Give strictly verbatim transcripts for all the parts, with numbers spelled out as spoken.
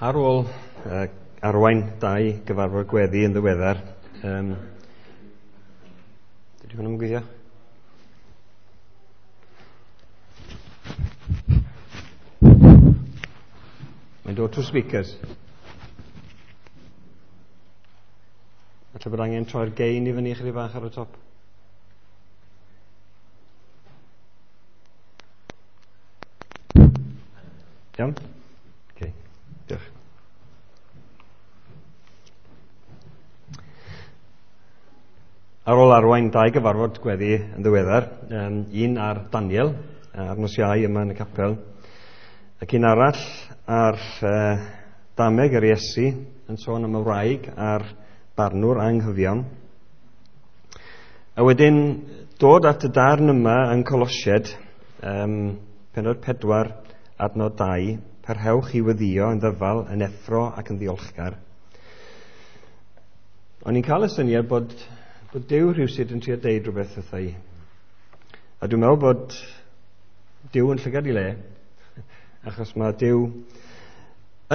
Ar ôl uh, arwain dau gyfarfod gweddi yn ddiweddar, um, dydy hwn yn gweithio? Mae'n dod trwy speakers. Falle bod angen troi'r gain i fyny chydig bach ar y top. Iawn? Okay. Diolch. Ar ôl arwain dau gyfarfod gweddi yn ddiweddar, um, un ar Daniel, ar nos Iau yma yn y capel, ac un arall ar uh, Dameg yr Iesu, yn sôn am y wraig a'r barnwr anghyfiawn. A wedyn dod at y darn yma yn Colosiaid, um, pennod pedwar, adnod dau, parhewch i weddïo yn ddyfal, yn effro ac yn ddiolchgar. O'n i'n cael y syniad bod, bod Duw rhywsut yn trio deud rhywbeth wrtha i. A dwi'n meddwl bod Duw yn llygad i le, achos mae Duw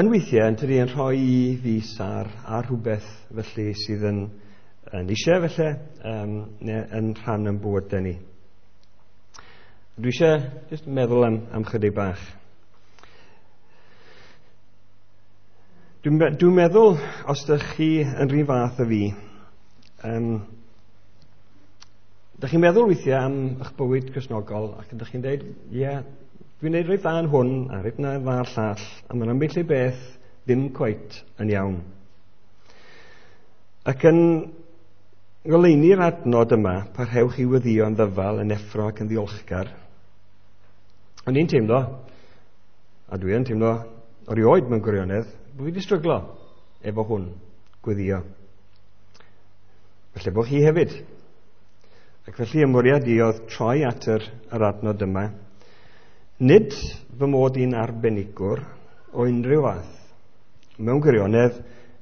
yn weithiau yn tydi yn rhoi i fys ar, ar rhywbeth felly sydd yn, yn eisiau felly, um, neu yn rhan yn bywydau ni. Dwi eisiau just meddwl am, am chydig bach. Dwi'n dwi meddwl, os ydych chi yn rhan fath o fi, um, ydych chi'n meddwl weithiau am eich bywyd Cristnogol ac ydych chi'n dweud, ie, yeah, dwi'n neud reit dda yn hwn a reit dda a'r llall, a mae'n ambell i beth ddim cweit yn iawn. Ac yn goleuni'r adnod yma, parhewch i weddïo yn ddyfal, yn effro ac yn ddiolchgar. O'n i'n teimlo, a dwi yn teimlo erioed mewn gwirionedd, bod fi wedi stryglo efo hwn, gweddio. Felly bod chi hefyd. Ac felly ymwriad i oedd troi at yr, yr adnod yma. Nid fy mod i'n arbenigwr o unrhyw fath. Mewn gwirionedd,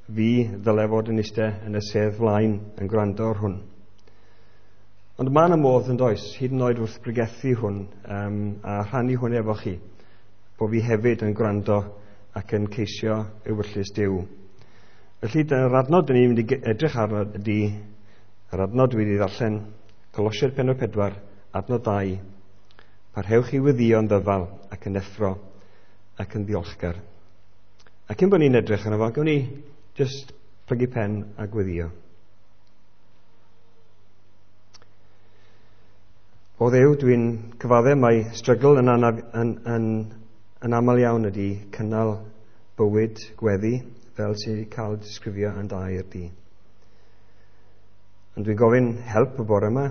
fi ddyle fod yn eistedd yn y sedd flaen yn gwrando ar hwn. Ond mae yna modd yn does, hyd yn oed wrth bregethu hwn um, a rhannu hwn efo chi, bod fi hefyd yn gwrando ac yn ceisio ewyllys Duw. Felly, dyna'r adnod dyn ni'n mynd i edrych arno ydy, yr adnod dwi wedi ddarllen, Colosiaid pennod pedwar, adnod dau, parhewch i weddïo yn ddyfal ac yn effro ac yn ddiolchgar. A cyn bod ni'n edrych arno fo, gawn ni just plygu pen a gweddio. O Dduw, dwi'n cyfadde mai strygl yn, anaf, yn, yn, yn aml iawn ydy cynnal bywyd gweddi fel sydd wedi cael disgrifio yn dair di. Ond dwi'n gofyn help y bore yma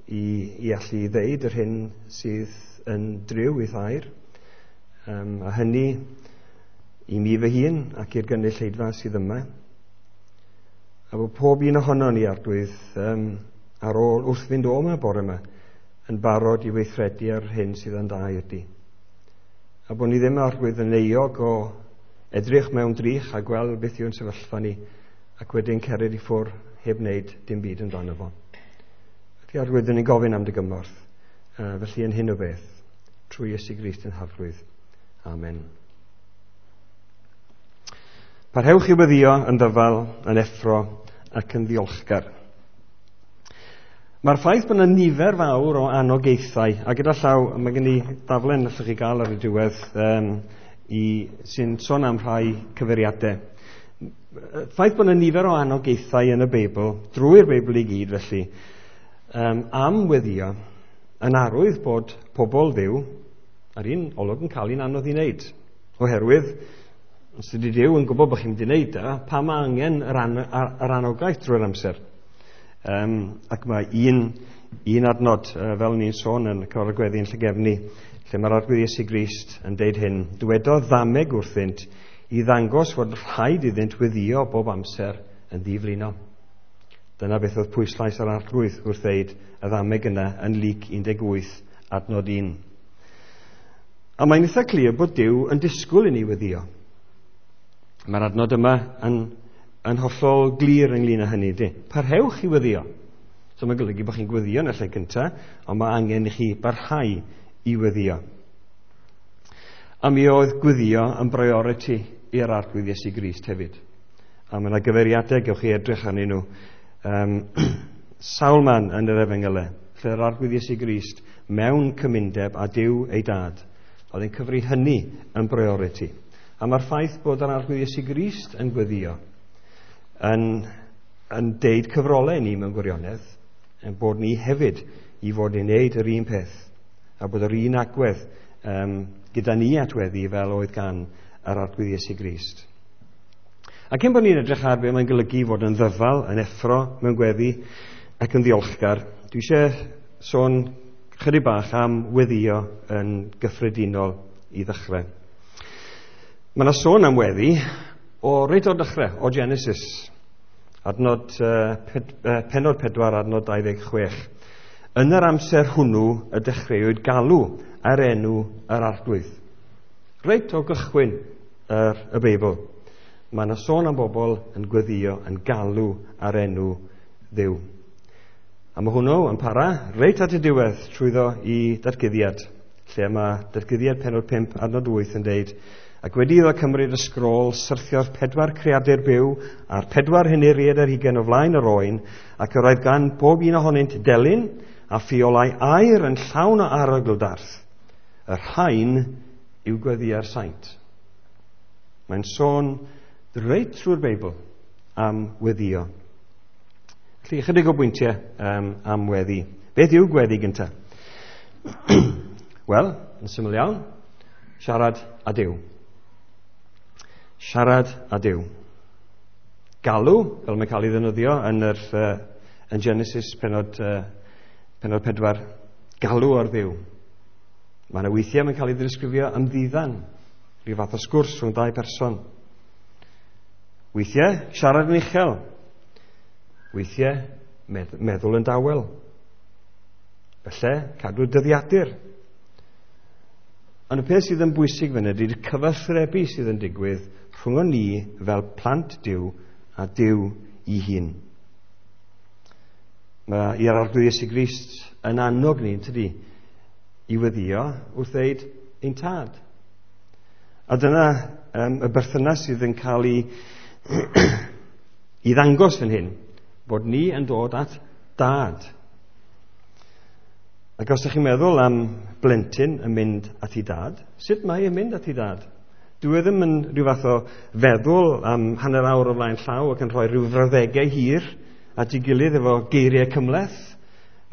i, i allu ddeud yr hyn sydd yn driw i thair, um, a hynny i mi fy hun ac i'r gynulleidfa sydd yma. A bod pob un ohono ni, Arglwydd, um, ar ôl wrth fynd o yma bore yma, yn barod i weithredu ar hyn sydd yn dair di. A bod ni ddim, Arglwydd, yn euog o edrych mewn drych a gweld beth yw'n sefyllfa ni, ac wedyn cered i ffwrdd heb wneud dim byd amdano fo. Felly, Arglwydd, ni'n gofyn am dy gymorth, uh, felly yn hyn o beth, trwy Iesu Grist yn Harglwydd. Amen. Parhewch i weddïo yn ddyfal, yn effro ac yn ddiolchgar. Mae'r ffaith bod yna nifer fawr o anogaethau, a gyda llaw, mae gen i daflen allwch chi gael ar y diwedd um, i, sy'n sôn am rhai cyfeiriadau. Ffaith bod yna nifer o anogaethau yn y Beibl, drwy'r Beibl i gyd felly, um, am weddïo, yn arwydd bod pobl Dduw ar un olwg yn cael un anodd i wneud. Oherwydd, os ydy Duw yn gwybod bod chi'n mynd i wneud e, pa mae angen yr, an yr anogaeth drwy'r amser. Um, ac mae un, un adnod, uh, fel ni'n sôn yn y cyfarfod gweddi yn Llangefni, lle mae'r Arglwydd Iesu Grist yn deud hyn, dywedodd ddameg wrthynt i ddangos fod rhaid iddynt weddïo bob amser yn ddiflino. Dyna beth oedd pwyslais yr Arglwydd wrth ddeud y ddameg yna yn Luc un deg wyth, adnod un. A mae'n eitha clir bod Duw yn disgwyl i ni weddïo. Mae'r adnod yma yn, yn hollol glir ynglyn â hynny. Di. Parhewch i weddïo. So mae'n golygu bod chi'n gweddio yn y lle gyntaf, ond mae angen i chi barhau i weddïo. A mi oedd gweddio yn priority i'r Arglwydd Iesu Grist hefyd. A mae yna gyfeiriadau, gewch chi edrych arnyn nhw. Um, sawl man yn yr Efengylau, lle yr Arglwydd Iesu Grist mewn cymundeb a Duw ei dad. Oedd e'n cyfri hynny yn priority. A mae'r ffaith bod yr Arglwydd Iesu Grist yn gweddio yn, yn deud cyfrolau ni mewn gwirionedd, yn bod ni hefyd i fod yn neud yr un peth, a bod yr un agwedd um, gyda ni at weddi fel oedd gan yr Arglwydd Iesu Grist. A cyn bod ni'n edrych ar be mae'n golygu fod yn ddyfal, yn effro mewn gweddi ac yn ddiolchgar, dwi eisiau sôn chydig bach am weddio yn gyffredinol i ddechrau. Mae yna sôn am weddi o reit o'r dechrau, o Genesis, adnod, uh, ped, uh, pennod pedwar, adnod dau ddeg chwech. Yn yr amser hwnnw y dechreuwyd galw ar enw yr Arglwydd. Reit o gychwyn yr, y Beibl, mae yna sôn am bobl yn gweddio, yn galw ar enw Dduw. A mae hwnnw yn para reit at y diwedd trwyddo i datguddiad, lle mae datguddiad pennod pump adnod wyth yn deud, ac wedi iddo cymryd y sgrôl, syrthiodd pedwar creadur byw a'r pedwar henuriad ar hugain o flaen yr oen, ac yr oedd gan bob un ohonynt delyn a ffiolau aur yn llawn o arogl darth. Y rhain yw gweddiau'r saint. Mae'n sôn reit trwy'r Beibl am weddio. Felly, ychydig o bwyntiau um, am weddi. Beth yw gweddi gyntaf? Wel, yn syml iawn, siarad â Duw. Siarad â Duw. Galw, fel mae'n cael ei ddefnyddio yn, yr, uh, yn Genesis pennod, uh, pennod pedwar, galw ar Dduw. Mae yna weithiau mae'n cael ei ddisgrifio ymddiddan, rhyw fath o sgwrs rhwng dau person. Weithiau, siarad yn uchel. Weithiau, medd- meddwl yn dawel. Felly, cadw dyddiadur. Ond y peth sydd yn bwysig fan ydy'r cyfathrebu sydd yn digwydd rhwng ni fel plant Duw a Duw ei hun. Mae i'r Arglwydd Iesu Grist yn annog ni, tydi, i weddio wrth ddeud ein tad. A dyna um, y berthynas sydd yn cael ei, i ddangos fan hyn, bod ni yn dod at dad. Ac os ydych chi'n meddwl am blentyn yn mynd at ei dad, sut mae e'n mynd at ei dad? Dwi e ddim yn rhyw fath o feddwl am hanner awr o flaen llaw ac yn rhoi rhyw frawddegau hir at ei gilydd efo geiriau cymhleth.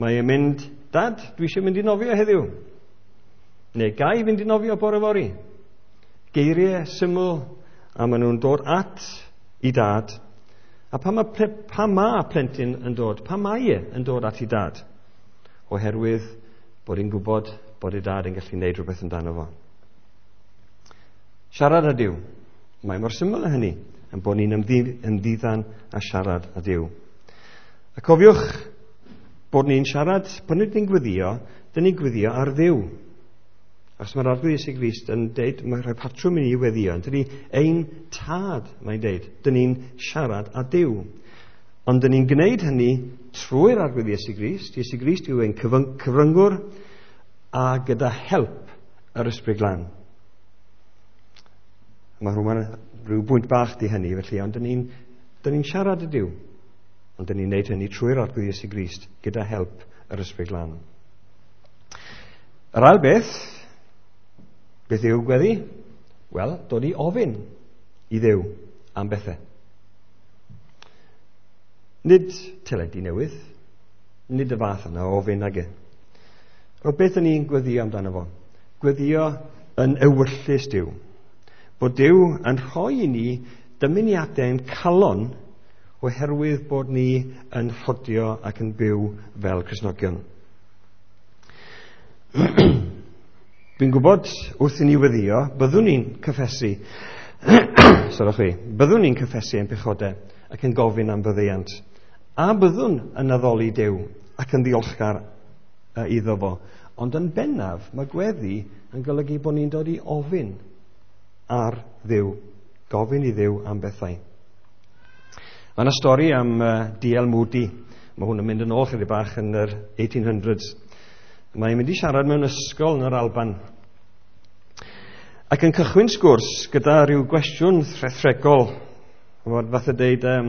Mae e'n mynd, dad, dwi eisiau mynd i nofio heddiw. Neu ga i fynd i nofio bore fory. Geiriau syml, a maen nhw'n dod at ei dad. A pa mae, pa ma plentyn yn dod? Pa mae e yn dod at ei dad? Oherwydd bod hi'n gwybod bod ei dad yn gallu gwneud rhywbeth amdano fo. Siarad â Duw. Mae mor syml â hynny, yn bod ni'n ymddiddan a siarad â Duw. A cofiwch bod ni'n siarad, bod ni'n gweddio, dyn ni'n gweddio ar Dduw. Achos mae'r Arglwydd Iesu Grist yn deud, mae'n rhoi patrwm i ni weddio, dyn ni ein tad, mae'n deud, dyn ni'n siarad â Duw. Ond dyn ni'n gwneud hynny trwy'r Arglwydd Iesu Grist. Iesu Grist yw ein cyfryngwr a gyda help yr Ysbryd Glân. Mae rhywun, rhyw bwynt bach di hynny, felly, ond dyn ni'n dyn ni'n siarad â Duw. Ond dyn ni'n gwneud hynny trwy'r Arglwydd Iesu Grist gyda help yr Ysbryd Glân. Yr ail beth, beth yw gweddi? Wel, dod i ofyn i Dduw am bethau. Nid teledu newydd, nid y fath yna o ofyn ag e. O beth yn ni'n gweddio amdano fo? Gweddio yn ewyllys Duw. Bod Duw yn rhoi i ni dymuniadau'n calon oherwydd bod ni yn rhodio ac yn byw fel Cristnogion. Dwi'n gwybod wrth i ni weddio, byddwn ni'n cyffesu, sorwch chi, byddwn ni'n cyffesu ein pechodau ac yn gofyn am faddeuant. A byddwn yn addoli Duw ac yn ddiolchgar iddo fo. Ond yn bennaf, mae gweddi yn golygu bod ni'n dod i ofyn ar Dduw, gofyn i Dduw am bethau. Mae yna stori am uh, D L Moody. Mae hwn yn mynd yn ôl chydig bach yn yr eighteen hundreds. Mae'n mynd i siarad mewn ysgol yn yr Alban. Ac yn cychwyn sgwrs gyda rhyw gwestiwn rhethregol. Fath o deud, um,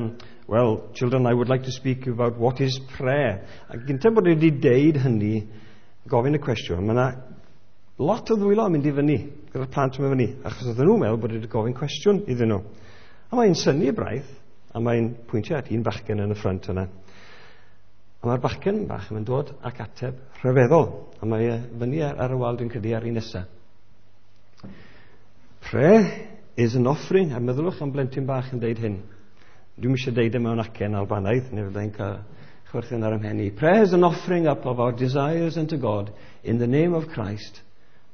"Well, children, I would like to speak about what is prayer." A gyntaf bod wedi deud hynny, gofyn y cwestiwn, mae yna lot o ddwylo yn mynd i fyny, gyda'r plant yn mynd fyny, achos oedden nhw'n meddwl bod wedi gofyn cwestiwn iddyn nhw. A mae'n synnu braidd, a mae'n pwyntio at un bachgen yn y ffrynt yna. A mae'r bachgen bach yn dod ac ateb rhyfeddol, a mae e fyny ar, ar y wal, dwi'n credu, ar un nesaf. "Prayer is an offering," a meddylwch am blentyn bach yn deud hyn. Dwi'm eisiau deud e mewn acen Albanaidd, neu fyddai'n cael chwerthin ar 'y mhen i. "Prayer is an offering up of our desires unto God in the name of Christ,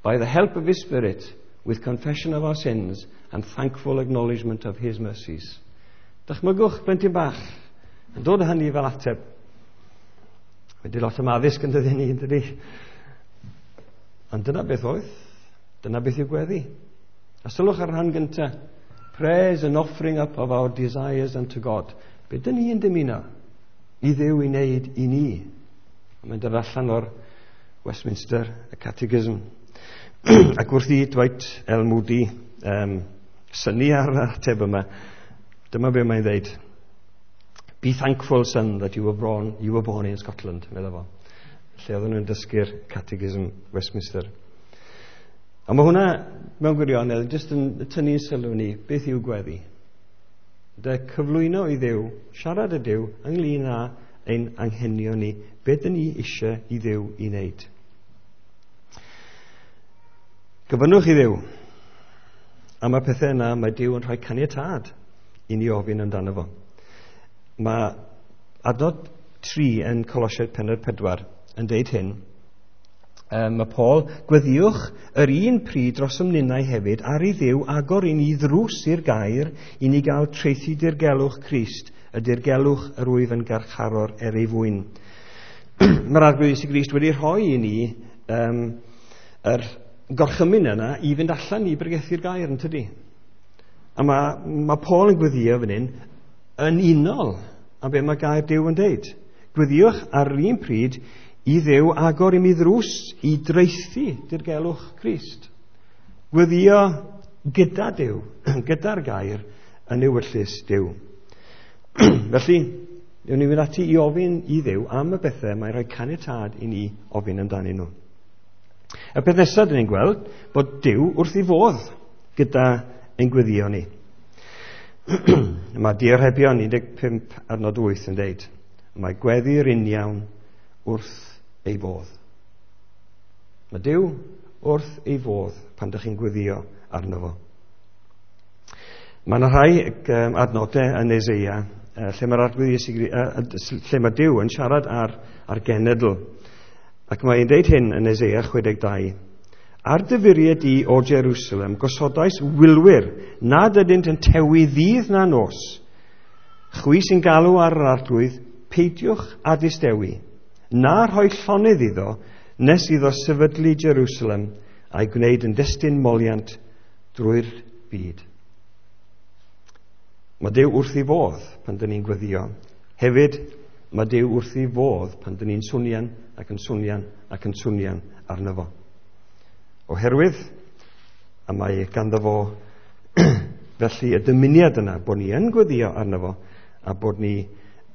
by the help of His Spirit, with confession of our sins and thankful acknowledgement of His mercies." Dychmygwch blentyn bach yn dod â hynny fel ateb. Wedi lot am addysg yn dydyn ni, yn dydi? Ond dyna beth oedd. Dyna beth yw gweddi. A sylwch ar rhan gyntaf. "Prayer is an offering up of our desires unto God." Be dyn ni yn dymuno i Dduw i wneud i ni? A mae'n dod allan o'r Westminster Catechism. Ac wrth i Dwight L. Moody um, synnu ar yr ateb yma, dyma be mae'n dweud. "Be thankful, son, that you were born, you were born in Scotland," meddwl fo. Lle oedden nhw'n dysgu'r Catechism Westminster. A mae hwnna, mewn gwirionedd, jyst yn tynnu sylw ni, beth yw gweddi. De cyflwyno i Dduw, siarad â Duw ynglyn â ein anghenion ni, beth dyn ni eisiau i Dduw i wneud. Gofynnwch i Dduw. A mae pethau yna, mae Duw yn rhoi caniatâd i ni ofyn amdano fo. Mae adnod tri yn Colosiaid pennod pedwar yn deud hyn. Um, mae Paul, "Gweddiwch yr un pryd drosom ninnau hefyd ar i Dduw agor i ni ddrws i'r gair i ni gael traethu dirgelwch Crist, y dirgelwch yr wyf yn garcharor er ei fwyn." Mae'r Arglwydd Iesu Grist wedi rhoi i ni um, yr gorchymyn yna i fynd allan i bregethu'r gair, yn tydi? A mae, mae Paul yn gweddio fan hyn yn unol â be mae gair Duw yn deud. Gweddiwch ar yr un pryd i Dduw agor i mi ddrws i draethu dirgelwch Crist. Gweddio gyda Duw, gyda'r gair yn ewyllys Duw. Felly, newn ni fynd ati i ofyn i Dduw am y bethau mae'n rhoi caniatâd i ni ofyn amdanyn nhw. Y peth nesaf dyn ni'n gweld bod Duw wrth ei fodd gyda ein gweddio ni. Mae Diharebion un deg pump adnod wyth yn deud, "Mae gweddi'r uniawn wrth ei fodd." Mae Duw wrth ei fodd pan ydych chi'n gweddio arno fo. Mae yna rhai adnodau yn Eseia lle mae'r Arglwydd Iesu, lle mae Duw yn siarad ar, ar genedl. Ac mae'n deud hyn yn Eseia chwe deg dau. "Ar dy furiau di, o Jerusalem, gosodais wylwyr nad ydynt yn tewi ddydd na nos. Chwi sy'n galw ar yr Arglwydd, peidiwch â distewi, na rhoi llonydd iddo, nes iddo sefydlu Jerusalem a'i gwneud yn destun moliant drwy'r byd." Mae Duw wrth ei fodd pan dyn ni'n gweddio. Hefyd, mae Duw wrth ei fodd pan dyn ni'n swnian ac yn swnian ac yn swnian arno fo. Oherwydd, a mae ganddo fo felly y dymuniad yna bod ni yn gweddio arno fo a bod ni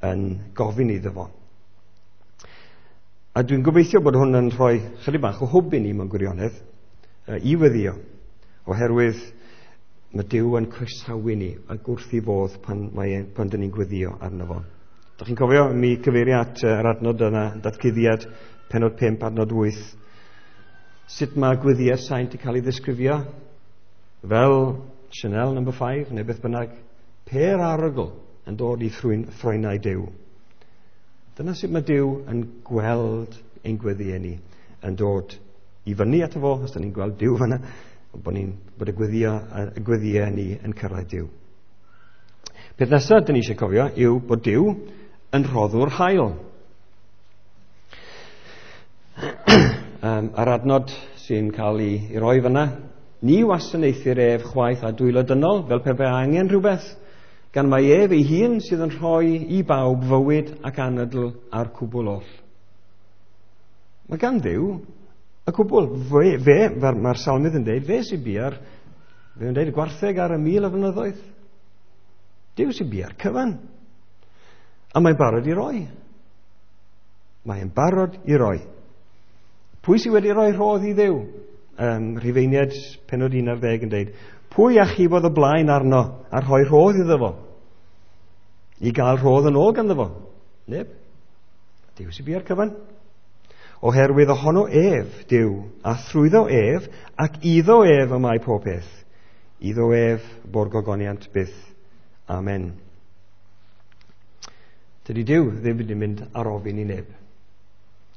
yn gofyn iddo fo. A dwi'n gobeithio bod hwn yn rhoi chydig bach o hwb i ni mewn gwirionedd i weddio, oherwydd mae Duw yn croesawu ni ac wrth ei fodd pan, mae, pan dyn ni'n gweddio arno fo. Dych chi'n cofio mi cyfeirio at yr adnod yna, Datguddiad, pennod pump, adnod wyth. Sut mae gweddiau'r saint yn cael ei ddisgrifio? Fel Chanel number five, neu beth bynnag. Pêr arogl yn dod i ffroenau Duw. Dyna sut mae Duw yn gweld ein gweddiau ni, yn dod i fyny ato fo, os da ni'n gweld Duw fyna, bod, ni'n, bod y gweddio, y gweddiau ni yn cyrraedd Duw. Peth nesaf dyn ni eisiau cofio yw bod Duw yn rhoddwr hael. um, a'r adnod sy'n cael ei, ei roi fyna, "Ni wasanaethir ef chwaith â dwylo dynol, fel pe bai angen rhywbeth, gan mai ef ei hun sydd yn rhoi i bawb fywyd ac anadl a'r cwbl oll." Mae gan Dduw y cwbl. Fe, fe mae'r salmydd yn dweud, fe sy'n bia'r Fe yn dweud gwartheg ar y mil o flynyddoedd. Duw sy'n bia'r cyfan. A mae'n barod i roi. Mae'n barod i roi. Pwy sydd wedi rhoi rhodd i Dduw? Um, Rhufeiniaid pennod un ar ddeg yn dweud, pwy achubodd y blaen arno a rhoi rhodd iddo fo? I gael rhodd yn ôl ganddo fo? Neb. Duw sy'n bia'r cyfan. Oherwydd ohono ef, Duw, a thrwyddo ef, ac iddo ef y mae pob peth. Iddo ef bo'r gogoniant byth. Amen. Dydy Duw ddim wedi mynd ar ofyn i neb.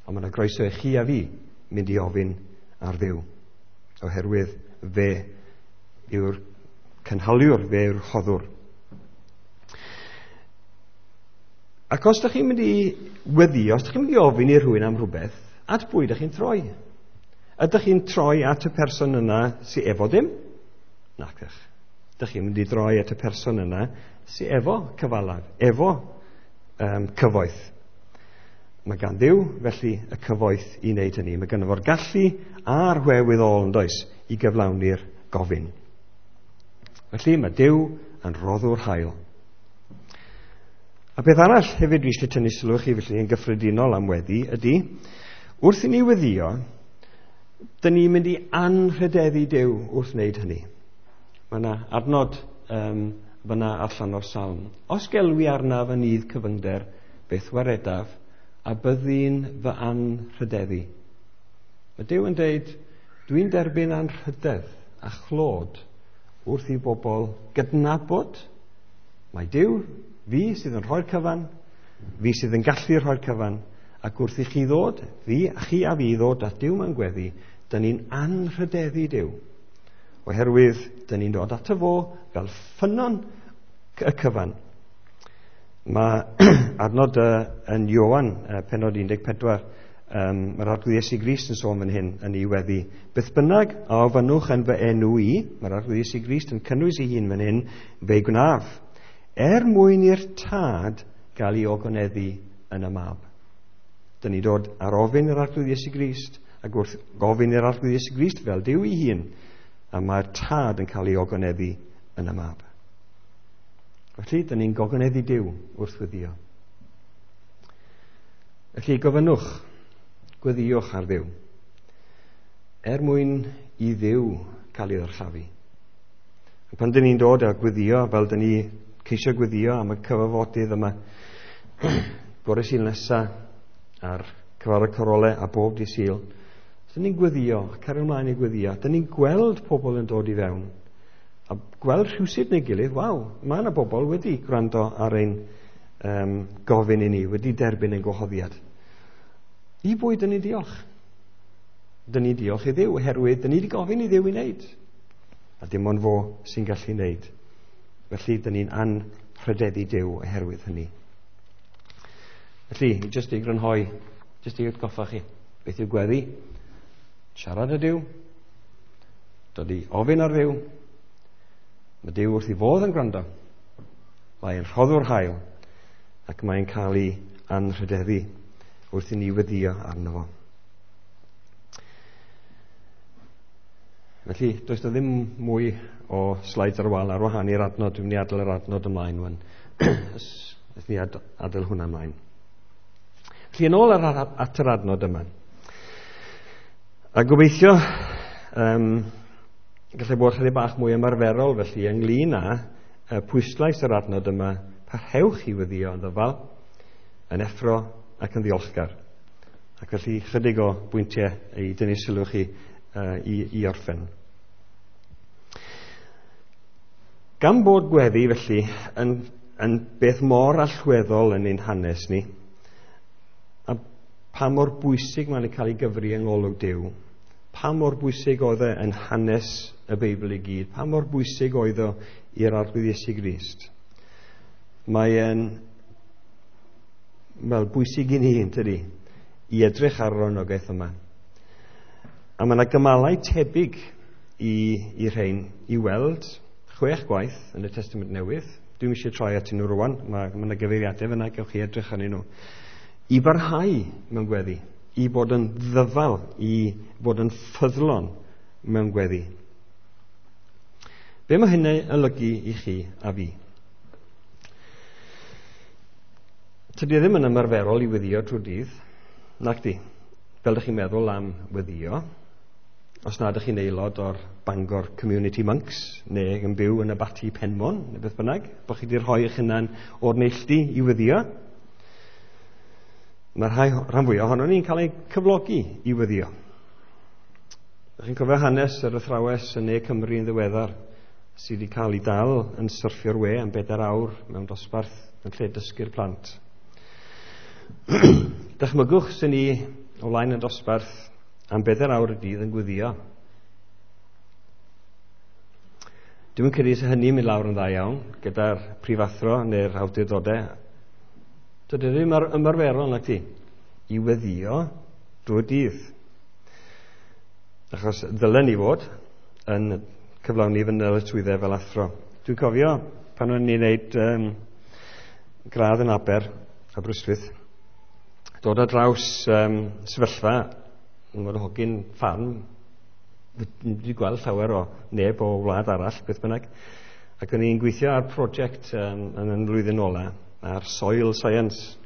Ond mae yna groeso i chi a fi mynd i ofyn ar Dduw. Oherwydd fe yw'r cynhaliwr, fe yw'r rhoddwr. Ac os ydych chi'n mynd i weddio, os ydych chi'n mynd i ofyn i rhywun am rhywbeth, at bwy ydych chi'n troi? Ydych chi'n troi at y person yna sydd efo dim? Nac ydych. Ydych chi'n mynd i droi at y person yna sydd efo cyfalaf, efo um, cyfoeth. Mae gan Dduw, felly, y cyfoeth i wneud hynny. Mae ganddo fo'r gallu a'r wherewithal, yn does, i gyflawni'r gofyn. Felly, mae Duw yn roddwr hael. A beth arall hefyd dwi eisiau tynnu sylw chi felly yn gyffredinol am weddi ydy, wrth i ni weddio, dyn ni'n mynd i anrhydeddu Duw wrth wneud hynny. Mae yna adnod um, fyna allan o'r salm. Os gelwi arnaf yn nydd cyfyngder, beth waredaf, a byddi'n fy anrhydeddu. Mae Duw yn dweud, dwi'n derbyn anrhydedd a chlod wrth i bobl gydnabod mae Duw, fi sydd yn rhoi'r cyfan, fi sydd yn gallu rhoi'r cyfan, ac wrth i chi ddod, fi, chi a fi ddod at Duw mewn gweddi, dyn ni'n anrhydeddu Duw. Oherwydd, dyn ni'n dod ato fo fel ffynnon y cyfan. Mae adnod yn Ioan, pennod un deg pedwar, um, mae'r Arglwydd Iesu Grist yn sôn fan hyn yn ei weddi. Beth bynnag a ofynnwch yn fy enw i, mae'r Arglwydd Iesu Grist yn cynnwys ei hun fan hyn, fe'i gwnaf, er mwyn i'r Tad gael ei ogoneddu yn y Mab. Dyn ni dod ar ofyn i'r Arglwydd Iesu Grist, ac wrth gofyn i'r Arglwydd Iesu Grist fel Duw ei hun, a mae'r Tad yn cael ei ogoneddu yn y Mab. Felly, dyn ni'n gogoneddu Duw wrth weddio. Felly, gofynnwch, gweddiwch ar Dduw, er mwyn i Dduw cael ei ddyrchafu. A pan dyn ni'n dod a gweddio, fel dyn ni ceisio gweddio am y cyfarfodydd yma, bore Sul nesa, a'r cyfarfod corole a bob dydd Sul, dyn ni'n gweddio, cario ymlaen i gweddio, dyn ni'n gweld pobl yn dod i fewn, a gweld rhywsut neu gilydd, waw, mae yna bobl wedi gwrando ar ein um, gofyn i ni, wedi derbyn ein gwahoddiad. I bwy dyn ni diolch? Dyn ni diolch i Dduw, oherwydd dyn ni wedi gofyn i Dduw i wneud. A dim ond fo sy'n gallu wneud. Felly, dyn ni'n anrhydeddu Duw oherwydd hynny. Felly, jyst i grynhoi, jyst i atgoffa chi, beth yw gweddi? Siarad â Duw, dod i ofyn ar Dduw. Mae Duw wrth ei fodd yn gwrando. Mae'n rhoddwr hael, ac mae'n cael ei anrhydeddu wrth i ni weddio arno fo. Felly, does na ddim mwy o slides ar y wal ar wahân i'r adnod. Dwi'n mynd i adael yr adnod ymlaen wan. Ys ni ad- adael hwnna ymlaen. Felly, yn ôl ar, at yr adnod yma. A gobeithio, um, gallai bod chydig bach mwy ymarferol felly ynglyn â uh, pwyslais yr adnod yma, parhewch i weddio yn ddyfal, yn effro ac yn ddiolchgar. Ac felly chydig o bwyntiau i dynnu sylw chi uh, i, i orffen. Gan bod gweddi felly yn, yn beth mor allweddol yn ein hanes ni, a pa mor bwysig mae'n cael ei gyfri yng ngolwg Duw, pa mor bwysig oedd e yn hanes y Beibl i gyd, pa mor bwysig oedd o i'r Arglwydd Iesu Grist. Mae e'n wel, bwysig i ni, yntydi, i edrych ar yr anogaeth yma. A mae yna gymalau tebyg i, i rhain i weld chwech gwaith yn y Testament Newydd. Dwi'm eisiau troi atyn nhw rwan, mae, mae yna gyfeiriadau fyna, gewch chi edrych arnyn nhw. I barhau mewn gweddi, i bod yn ddyfal, i bod yn ffyddlon mewn gweddi. Be mae hynny olygu i chi a fi? Tydi e ddim yn ymarferol i weddio trwy dydd, nac di. Fel ydych chi'n meddwl am weddio, os na ydych chi'n aelod o'r Bangor Community Monks, neu yn byw yn Abaty Penmon, neu beth bynnag, bod chi wedi rhoi eich hunan o'r neilltu i weddio, mae'r rhai, rhan fwyaf ohono ni'n cael ei cyflogi i weddio. Ydych chi'n cofio hanes yr athrawes yn Ne Cymru yn ddiweddar, sydd wedi cael ei dal yn syrffio'r we am bedair awr mewn dosbarth yn lle dysgu'r plant. Dychmygwch sy'n ni o flaen y dosbarth am bedair awr y dydd yn gweddio. Dwi'n credu sy'n hynny'n mynd lawr yn dda iawn gyda'r prifathro neu'r awdurdodau. Dydy ddim ymarferol nac ti i weddio drwy'r dydd. Achos ddylen ni fod yn cyflawni fy nyletswyddau fel athro. Dwi'n cofio pan o'n i'n neud um, gradd yn Aber, Aberystwyth, dod ar draws um, sefyllfa, yn fod hogyn ffarm, wedi gweld llawer o neb o wlad arall, beth bynnag, ac o'n i'n gweithio ar prosiect um, yn y flwyddyn ola, ar soil science,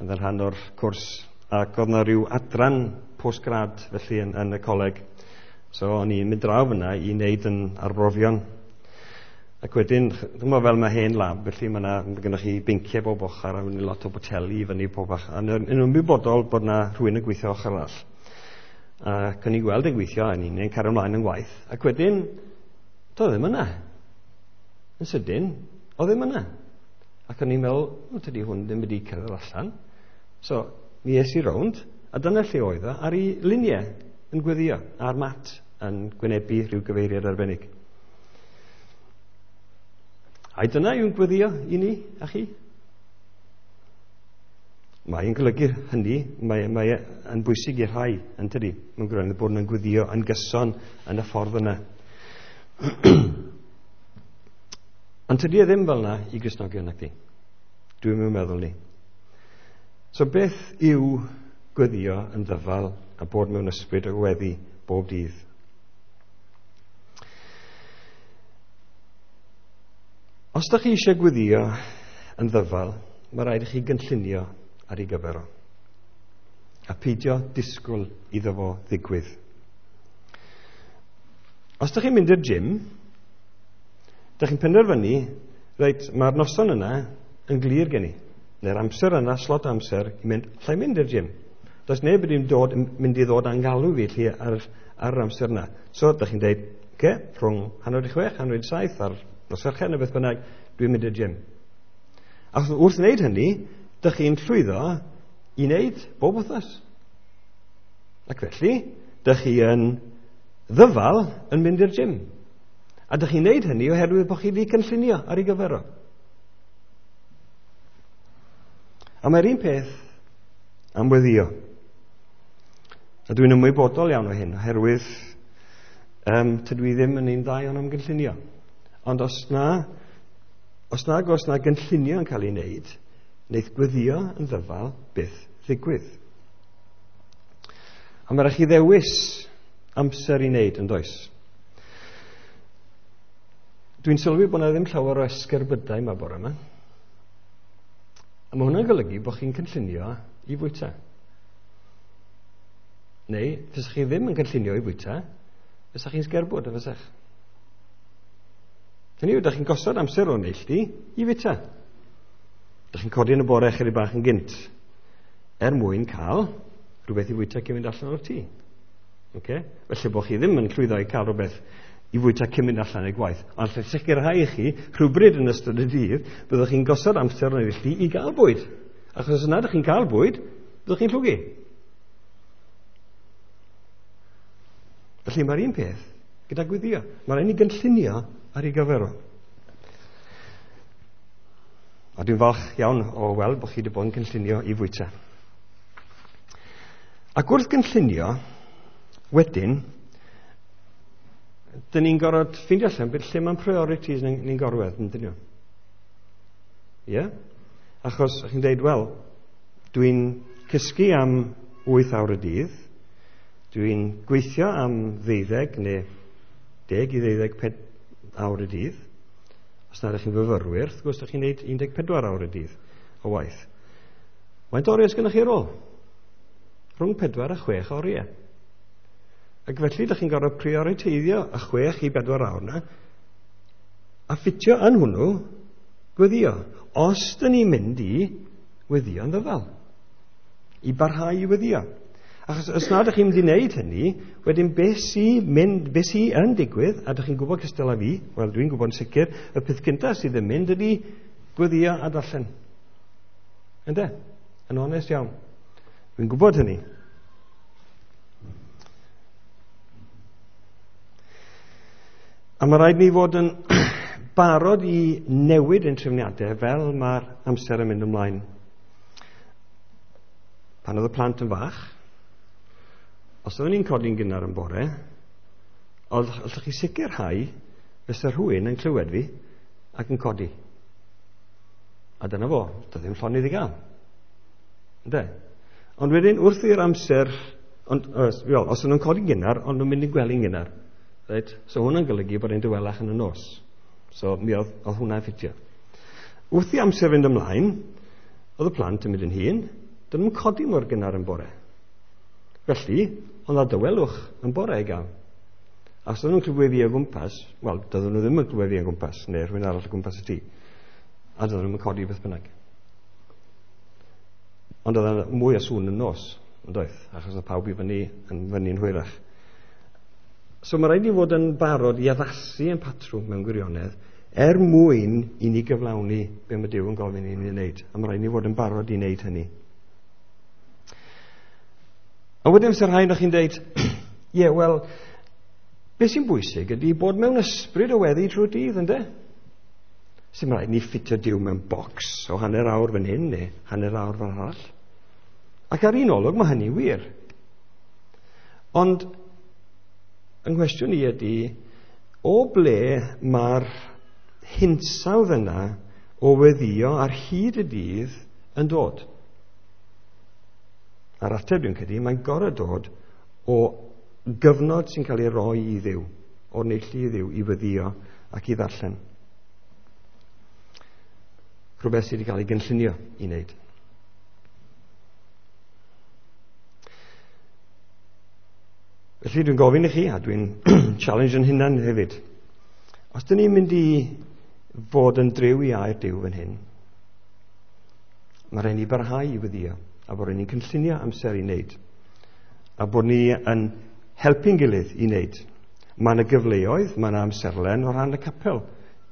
yn rhan o'r cwrs, ac oedd yna rhyw adran postgrad felly yn, yn y coleg. So o'n i'n mynd draw fyna i wneud yn arbrofion. Ac wedyn, dwi'n meddwl fel mae hen lab, felly mae yna, mae gennych chi benciau bob ochr a mynd lot o boteli i fyny pob ochr. A yn ymwybodol bod yna rhywun yn gweithio ochr arall. Ac o'n i'n gweld yn gweithio, a ni'n cario ymlaen yn gwaith. Ac wedyn, doedd ddim yna. Yn sydyn, oedd ddim yna. Ac o'n i'n meddwl, o, tydi hwn ddim wedi cyrraedd allan. So, mi es i rownd, a dyna lle oedd o, ar ei luniau yn gweddio, ar mat yn gwynebu rhyw gyfeiriad arbennig. Ai dyna yw'n gweddio i ni a chi? Mae'n golygu hynny, mae, mae yn bwysig i'r rhai, yn tydi, mewn gwirionedd bod yn gweddio yn gyson yn y ffordd yna. Ond tydi e ddim fel yna i Gristnogion nac di. Dwi'n meddwl ni. So beth yw gweddio yn ddyfal a bod mewn ysbryd o weddi bob dydd? Os ydych chi eisiau gweddio yn ddyfal, mae rhaid i chi gynllunio ar ei gyfer o. A peidio disgwyl iddo fo ddigwydd. Os ydych chi'n mynd i'r gym, ydych chi'n penderfynu, reit, mae'r noson yna yn glir gen i. Neu'r amser yna, slot amser, i mynd, allai mynd i'r gym. Does neb wedi dod, mynd i ddod angalw fi lle ar, ar yr amser yna. So, ydych chi'n dweud, oce, rhwng hanner i chwech, hanner i saith, ar nos Fercher neu beth bynnag, dwi'n mynd i'r gym. Ac wrth wneud hynny, dych chi'n llwyddo i wneud bob wythnos. Ac felly, dych chi yn ddyfal yn mynd i'r gym. A dych chi'n wneud hynny oherwydd bod chi wedi cynllunio ar ei gyfer o. A mae'r un peth am weddio. A dwi'n ymwybodol iawn o hyn, oherwydd um, tydw i ddim yn un dda iawn am gynllunio. Ond os na, os nag os na gynllunio yn cael ei wneud, wneith gweddio yn ddyfal byth ddigwydd. A mae rhaid chi ddewis amser i wneud yn does. Dwi'n sylwi bod yna ddim llawer o esgerbydau yma bore yma. A mae hwnna'n golygu bod chi'n cynllunio i fwyta. Neu, fysach chi ddim yn cynllunio i fwyta, fysach chi'n sgerbwd, a fysach. Hynny yw, dych chi'n gosod amser o'n neilltu i fwyta. Dych chi'n codi yn y bore chydig bach yn gynt, er mwyn cael rhywbeth i fwyta cyn mynd allan o'r tŷ. Okay? Felly bod chi ddim yn llwyddo i cael rhywbeth i fwyta cyn mynd allan i'r gwaith. Ond lle sicrhau i chi, rhywbryd yn ystod y dydd, byddwch chi'n gosod amser o'n neilltu i gael bwyd. Achos os nad ydych chi'n cael bwyd, byddwch chi'n llwgu. Felly mae'r un peth gyda gweddio. Mae'n rhaid ni gynllunio ar ei gyfer o. A dwi'n falch iawn o weld bod chi wedi bod yn cynllunio i fwyta. Ac wrth gynllunio, wedyn, dyn ni'n gorfod ffeindio allan beth lle mae'n priorities ni'n ni gorwedd, yn dyn nhw. Ie? Yeah? Achos chi'n dweud, wel, dwi'n cysgu am wyth awr y dydd, dwi'n gweithio am ddeuddeg neu deg i ddeuddeg ped, awr y dydd. Os nad ydych chi'n fyfyrwyr, wrth gwrs, ydych chi'n gwneud un deg pedwar awr y dydd o waith. Faint oriau sgynnoch chi ar ôl? Rhwng pedwar a chwech oriau. Ac felly, ydych chi'n gorfod prioriteiddio y chwech i bedwar awr yna a ffitio yn hwnnw gweddio. Os dyn ni'n mynd i weddio'n ddyfal, i barhau i weddio. Achos os nad ydych chi'n mynd i wneud hynny, wedyn beth sy'n mynd, beth sy'n yn digwydd, a ydych chi'n gwybod cystal â fi, wel dwi'n gwybod yn sicr, y peth gyntaf sydd yn mynd ydy gweddio a darllen. Ynde? Yn onest iawn. Dwi'n gwybod hynny. A mae rhaid ni fod yn barod i newid ein trefniadau fel mae'r amser yn mynd ymlaen. Pan oedd y plant yn fach, os oeddwn ni'n codi'n gynnar yn bore, oedd allwch chi sicrhau fysa rhywun yn clywed fi ac yn codi. A dyna fo, doedd ddim llonydd i gael. Ynde? Ond wedyn, wrth i'r amser, ond, os, well, os o'n nhw'n codi'n gynnar, ond nhw'n mynd i'n gwely'n gynnar. Right? So hwnna'n golygu bod e'n dawelach yn y nos. So mi oedd, oedd hwnna'n ffitio. Wrth i amser fynd ymlaen, oedd y plant yn mynd yn hŷn, dyn nhw'n codi mor gynnar yn bore. Felly, oedd na dawelwch yn bore i gael. A os oedden nhw'n clywed fi o gwmpas, wel, doedden nhw ddim yn clywed fi o gwmpas, neu rhywun arall o gwmpas y tŷ. A doedden nhw'n codi beth bynnag. Ond oedd mwy o sŵn yn nos, yn doedd, achos oedd pawb i fyny yn fyny'n hwyrach. So mae rhaid i fod yn barod i addasu ein patrwm mewn gwirionedd er mwyn i ni gyflawni be mae Duw yn gofyn i ni wneud. A mae rhaid i ni fod yn barod i wneud hynny. A wedyn sy'n rhaid o'ch chi'n deud, ie, yeah, wel, beth sy'n bwysig ydy bod mewn ysbryd o weddi trwy'r dydd, ynde? Sy'n rhaid ni ffitio Duw mewn bocs o hanner awr fan hyn neu hanner awr fan arall. Ac ar un olwg mae hynny wir. Ond yng nghwestiwn i ydy, o ble mae'r hinsawdd yna o weddio ar hyd y dydd yn dod? A'r ateb dwi'n credu, mae'n gorfod dod o gyfnod sy'n cael ei roi i Dduw, o'r neilltu i Dduw, i weddio ac i ddarllen. Rhywbeth sydd wedi cael ei gynllunio i wneud. Felly dwi'n gofyn i chi, a dwi'n challenge yn hunan hefyd, os dyn ni'n mynd i fod yn driw i air Duw fan hyn, mae rhaid ni barhau i weddio, a bod ni'n cynllunio amser i wneud, a bod ni yn helpu'n gilydd i wneud. Mae yna gyfleoedd, mae yna amserlen o ran y capel,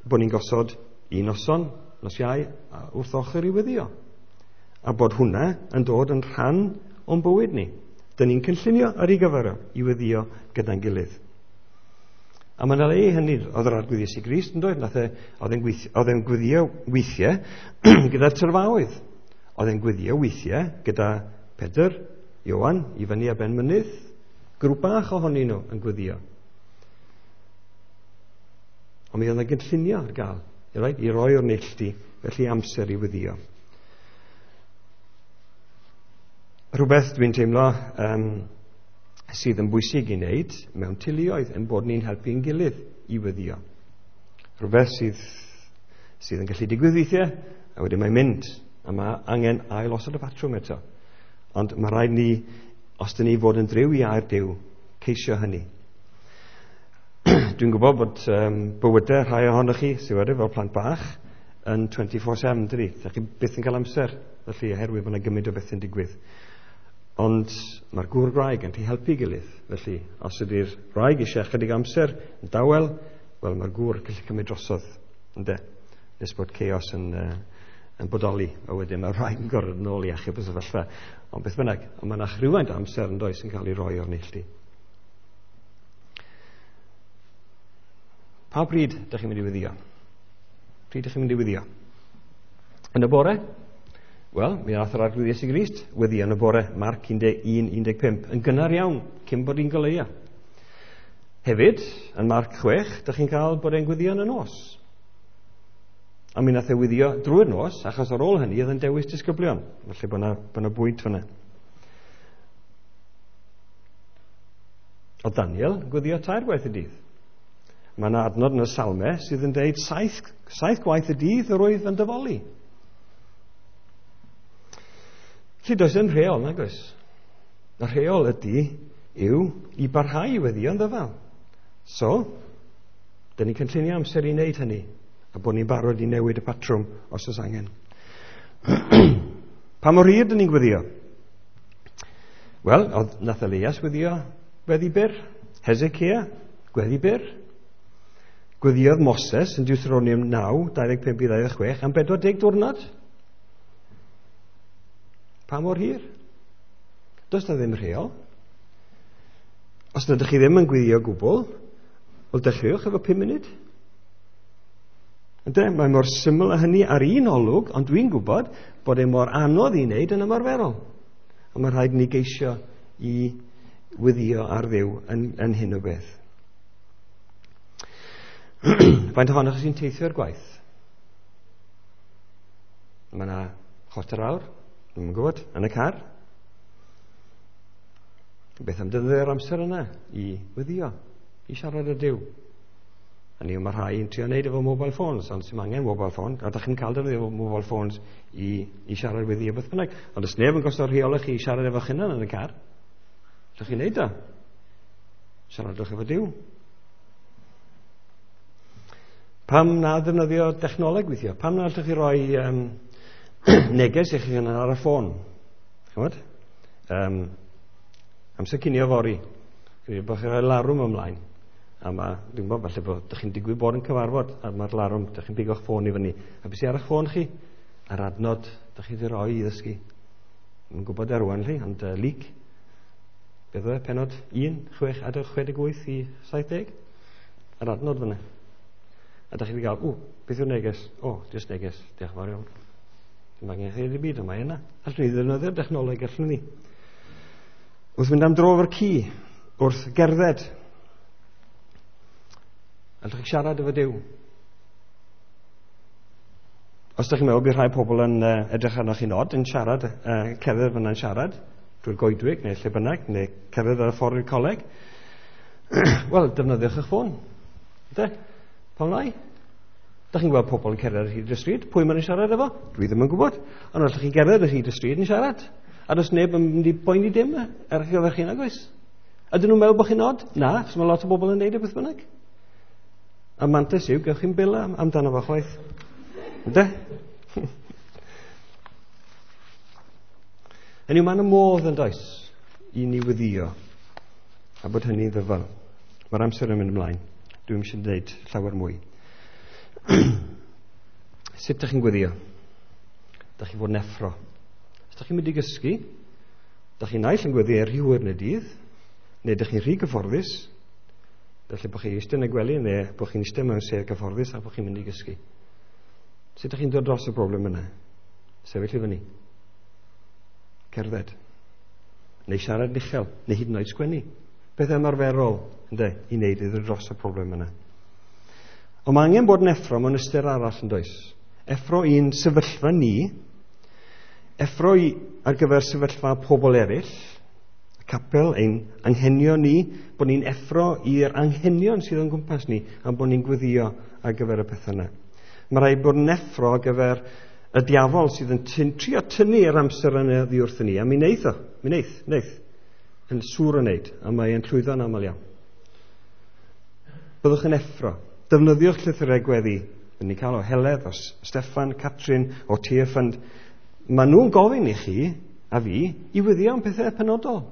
bod ni'n gosod un noson, nos Iau, wrth ochr i weddio, a bod hwnna yn dod yn rhan o'n bywyd ni. Dyn ni'n cynllunio ar ei gyfer o, i weddio gyda'n gilydd. A mae'n le i hynny, oedd yr Arglwydd Iesu Grist yn dod, nath e, oedd e'n oedd e'n gweddio weithiau gyda'r tyrfaoedd. Oedd e'n gweddio weithiau gyda Pedr, Ioan, i fyny ar ben mynydd, grŵp bach ohonyn nhw yn gweddio. Ond mi oedd yna gynllunio ar gael, right, i roi o'r neilltu, felly amser i weddio. Rhywbeth dwi'n teimlo um, sydd yn bwysig i wneud mewn teuluoedd yn bod ni'n helpu'n gilydd i weddio. Rhywbeth sydd, sydd yn gallu digwydd weithiau, a wedyn mae'n mynd, a mae angen ail osod y patrwm eto. Ond mae rhaid ni, os dyn ni fod yn driw i air Duw, ceisio hynny. Dwi'n gwybod bod um, bywydau rhai ohonoch chi, sydd wedi fel plant bach, yn twenty-four seven, dydy. Dych chi byth yn cael amser, felly oherwydd bod yna gymaint o beth yn digwydd. Ond mae'r gŵr gwraig yn gallu helpu gilydd. Felly, os ydy'r wraig eisiau chydig amser yn dawel, wel, mae'r gŵr yn gallu cymryd drosodd, ynde? Nes bod chaos yn, uh, yn bodoli, a wedyn mae'r wraig yn gorfod yn ôl i achub y sefyllfa. Ond beth bynnag, ond mae yna rhywfaint o amser yn does yn cael ei roi o'r neilltu. Pa bryd ydych chi'n mynd i weddio? Pryd ydych chi'n mynd i weddio? Yn y bore? Wel, mi ath yr Arglwydd Iesu Grist weddio yn y bore, Marc un deg un, un deg pump, yn gynnar iawn, cyn bod hi'n goleuo. Hefyd, yn Marc chwech, ydych chi'n cael bod e'n gweddio yn y nos. A mi nath e weddio drwy'r nos, achos ar ôl hynny oedd yn dewis disgyblion. Felly bod yna, bod yna bwynt fyna. O Daniel, gweddio tair gwaith y dydd. Mae yna adnod yn y Salmau sydd yn deud saith, saith gwaith y dydd yr wyf yn dyfoli. Felly does ddim rheol, nag oes? Y rheol ydy yw i barhau i weddïo'n ddyfal. So, dyn ni'n cynllunio amser i wneud hynny, a bod ni'n barod i newid y patrwm os oes angen. Pa mor hir dyn ni'n gweddio? Wel, oedd nath Elias weddio weddi byr, Hezekiah, gweddi byr. Gweddiodd Moses yn Deuteronomium naw, dau ddeg pump i ddau ddeg chwech, am bedwar deg diwrnod. Pa mor hir? Does na ddim rheol. Os nad ydych chi ddim yn gweddio o gwbl, wel dechreuwch efo pum munud. Ynde, mae mor syml â hynny ar un olwg, ond dwi'n gwybod bod e mor anodd i wneud yn ymarferol. A mae rhaid ni geisio i weddio ar Dduw yn, yn hyn o beth. Faint ohonoch sy'n teithio i'r gwaith? Mae yna chwarter awr, dwi'm yn gwybod, yn y car. Beth am defnyddio'r amser yna i weddio, i siarad â Duw? Hynny yw, mae rhai yn trio wneud efo mobile phones, ond sy'n angen mobile phone, a dach chi'n cael defnyddio mobile phones i, i siarad weddio beth bynnag. Ond os neb yn gosod rheol i chi i siarad efo'ch hunan yn y car, ydych chi'n neud o? Siaradwch efo Duw. Pam na ddefnyddio dechnoleg weithio? Pam na allwch chi roi um, neges i chi hunan ar y ffôn? Chymod? Um, amser cinio fory. Credu bod chi'n rhoi larwm ymlaen. A ma, dwi'n gwybod, falle bod ydych chi'n digwydd bod yn cyfarfod, a mae'r larwm, ydych chi'n bigo'ch ffôn i fyny. A beth sydd ar eich ffôn chi? Yr adnod ydych chi wedi rhoi i ddysgu. Dwi'n gwybod ar rwan chi, ond uh, Luc, beth oedd e? Penod un, chwech, adeg chwe deg wyth i saith deg? Yr adnod fyna. A ydych chi wedi cael, ww, beth yw'r neges? O, jyst neges, diolch yn fawr iawn. Dim angen chi ddim byd, ond mae yna. Allwn ni ddefnyddio'r dechnoleg, allwn ni. Wrth mynd am dro efo'r ci, wrth gerdded, allwch chi siarad efo Duw. Os ydych chi'n meddwl bydd rhai pobl yn uh, edrych arnoch chi'n od yn siarad, uh, cerdded fyna'n siarad, drwy'r goedwig neu lle bynnag, neu cerdded ar y ffordd i'r coleg, wel, defnyddiwch eich ffôn. Ynde? Pam lai? Dych chi'n gweld pobl yn cerdded ar hyd y stryd, pwy maen nhw'n siarad efo? Dwi ddim yn gwybod. Ond allwch chi gerdded ar hyd y stryd yn siarad. A does neb yn mynd i boeni dim ar eich gyfer chi, nag oes? Ydyn nhw'n meddwl bod chi'n od? Na, achos mae lot o bobl yn neud e beth bynnag. A mantais yw, gewch chi'n bil am, amdano fo chwaith. Ynde? Hynny yw, mae'n y modd yn does i ni weddio, a bod hynny'n ddyfal. Mae'r amser yn mynd ymlaen. Dwi'm eisiau dweud llawer mwy. Sut ydych chi'n gweddio? Dych chi fod yn effro. Os ydych chi'n mynd i gysgu, dych chi'n naill yn gweddio rhy hwyr yn y dydd, neu dych chi'n rhy gyfforddus, felly bod chi'n eistedd yn y gwely, neu bod chi'n eistedd mewn sedd gyfforddus a bod chi'n mynd i gysgu. Sut ydych chi'n dod dros y broblem yna? Sefyll i fyny. Cerdded. Neu siarad uchel, neu hyd yn oed sgwennu. Beth ymarferol, ynde, i wneud i ddod dros y broblem yna. Ond mae angen bod yn effro mewn ystyr arall yn does. Effro i'n sefyllfa ni, effro i ar gyfer sefyllfa pobl eraill, y capel, ein anghenion ni, bod ni'n effro i'r anghenion sydd o'n gwmpas ni, a bod ni'n gweddio ar gyfer y pethau yna. Mae rhaid bod yn effro ar gyfer y diafol sydd yn tyn, trio tynnu'r amser yna oddi wrthyn ni, a mi wneith o, mi wneith, wneith, yn sŵr o wneud, a mae e'n llwyddo'n aml iawn. Byddwch yn effro. Defnyddiwch llythyrau gweddi. Dyn ni'n cael o Heledd, o Steffan, Catrin, o Tearfund. Maen nhw'n gofyn i chi, a fi, i weddio am pethau penodol.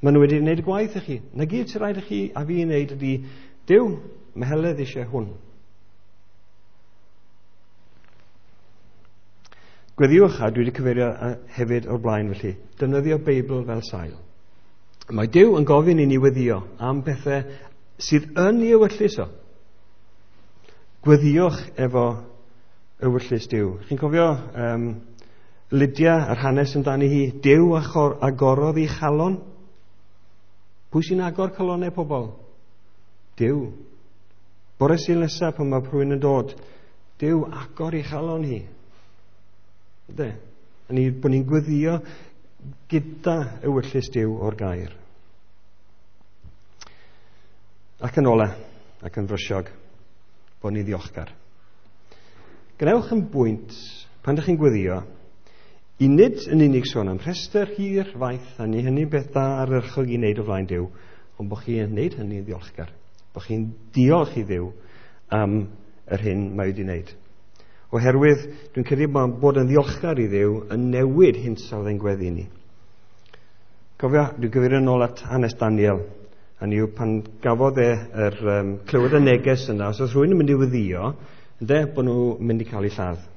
Maen nhw wedi gwneud y gwaith i chi. Na gyd sy'n rhaid i chi a fi i wneud ydy, Duw, mae Heledd eisiau hwn. Gweddiwch, a dwi wedi cyfeirio hefyd o'r blaen felly, defnyddio Beibl fel sail. Mae Duw yn gofyn i ni weddio am pethau sydd yn ei ewyllys o. Gweddiwch efo ewyllys Duw. Chi'n cofio um, Lydia, yr hanes amdani hi, Duw agorodd ei chalon. Pwy sy'n agor calonnau pobl? Duw. Bore Sul nesaf pan mae rhywun yn dod, Duw agor ei chalon hi. Ynde? A ni, bod ni'n gweddio gyda ewyllys Duw o'r gair. Ac yn ola, ac yn frysiog, bod ni'n ddiolchgar. Gwnewch yn bwynt, pan ydych chi'n gweddio, i nid yn unig sôn am rhestr hir faith, a ni hynny beth da ardderchog i wneud o flaen Duw, ond bod chi'n wneud hynny'n ddiolchgar. Bod chi'n diolch i Dduw am yr hyn mae wedi wneud. Oherwydd, dwi'n credu bod yn ddiolchgar i Dduw yn newid hinsawdd ein gweddi ni. Cofio, dwi'n gyfeirio yn ôl at hanes Daniel. Hynny yw, pan gafodd e yr, um, clywed y neges yna, os oedd rhywun yn mynd i weddïo, ynde, bod nhw'n mynd i cael eu lladd.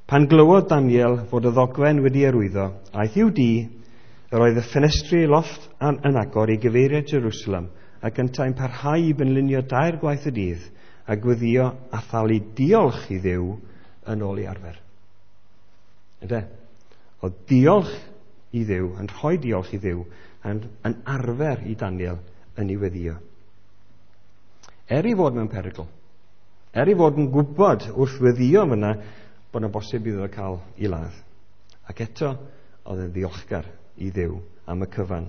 Pan glywodd Daniel fod y ddogfen wedi arwyddo, aeth i'w dŷ, yr oedd y ffenestri lofft yn agor i gyfeiriad Jerusalem, ac yntau'n parhau i benlinio dair gwaith y dydd, a gweddio a thalu diolch i Dduw yn ôl i arfer. Ynde? Oedd diolch i Dduw, yn rhoi diolch i Dduw, yn, yn arfer i Daniel yn ei weddio. Er ei fod mewn perygl, er ei fod yn gwybod wrth weddio fyna bod yna bosib iddo cael ei ladd. Ac eto, oedd yn ddiolchgar i Dduw am y cyfan.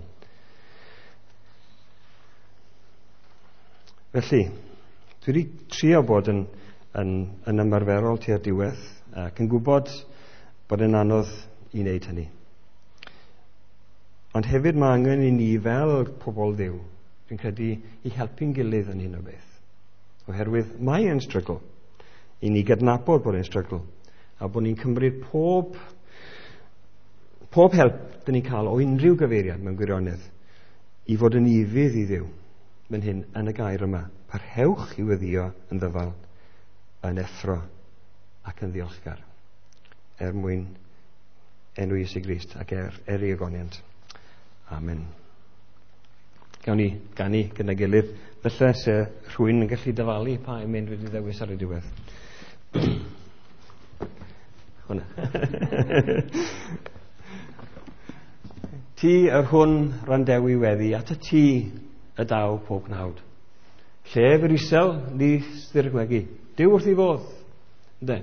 Felly, dwi wedi trio bod yn, yn, yn ymarferol tua'r diwedd, ac yn gwybod bod yn anodd i wneud hynny. Ond hefyd mae angen i ni fel pobl Dduw, dwi'n credu, i helpu'n gilydd yn hyn o beth. Oherwydd mae e'n strygl. I ni gydnabod bod e'n strygl. A bod ni'n cymryd pob, pob help dyn ni'n cael o unrhyw gyfeiriad mewn gwirionedd i fod yn ufudd i Dduw. Fan hyn, yn y gair yma, parhewch i weddio yn ddyfal, yn effro ac yn ddiolchgar, er mwyn enw Iesu Grist ac er, er ei ogoniant. Amen. Gawn ni ganu gyda gilydd. Felly, se rhywun yn gallu dyfalu pa emyn wedi ddewis ar y diwedd. Hwna. Ti yr hwn randewi weddi, at y ti y daw pob gnawd. Lle fyr isel, ni styrgwegi. Duw wrth ei fodd. Ynde?